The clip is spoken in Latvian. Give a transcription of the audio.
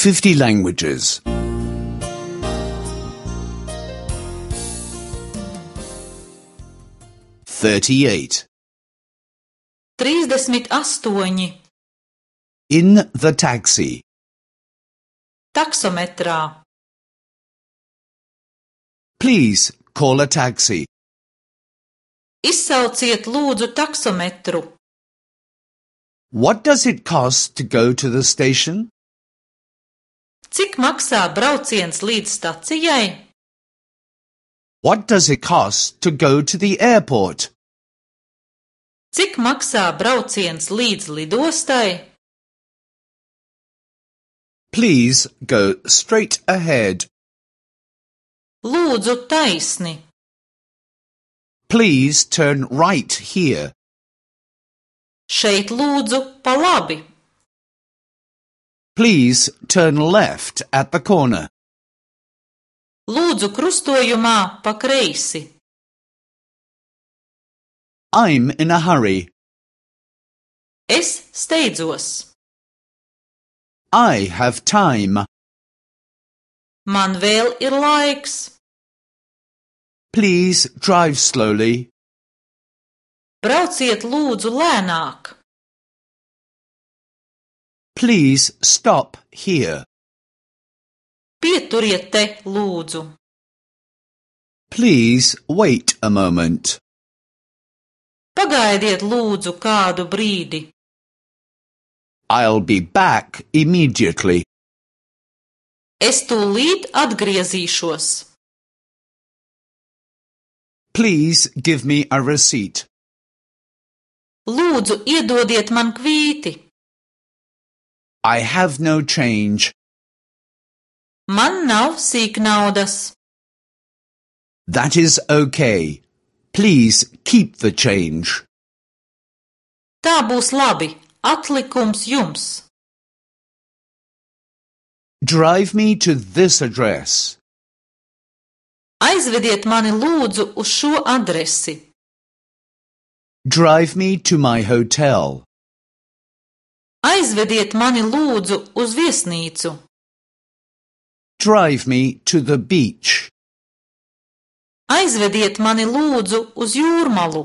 50 languages. 38. 38. In the taxi. Taksometrā. Please call a taxi. Izsauciet lūdzu taksometru. What does it cost to go to the station? Cik maksā brauciens līdz stacijai? What does it cost to go to the airport? Cik maksā brauciens līdz lidostai? Please go straight ahead. Lūdzu taisni. Please turn right here. Šeit lūdzu pa labi. Please turn left at the corner. Lūdzu krustojumā pa kreisi. I'm in a hurry. Es steidzos. I have time. Man vēl ir laiks. Please drive slowly. Brauciet lūdzu lēnāk. Please stop here. Pieturiet te lūdzu. Please wait a moment. Pagaidiet lūdzu kādu brīdi. I'll be back immediately. Es tūlīt atgriezīšos. Please give me a receipt. Lūdzu iedodiet man kvīti. I have no change. Man nav sīknaudas. That is okay. Please keep the change. Tā būs labi. Atlikums jums. Drive me to this address. Aizvediet mani lūdzu uz šo adresi. Drive me to my hotel. Aizvediet mani lūdzu uz viesnīcu. Drive me to the beach. Aizvediet mani lūdzu uz jūrmalu.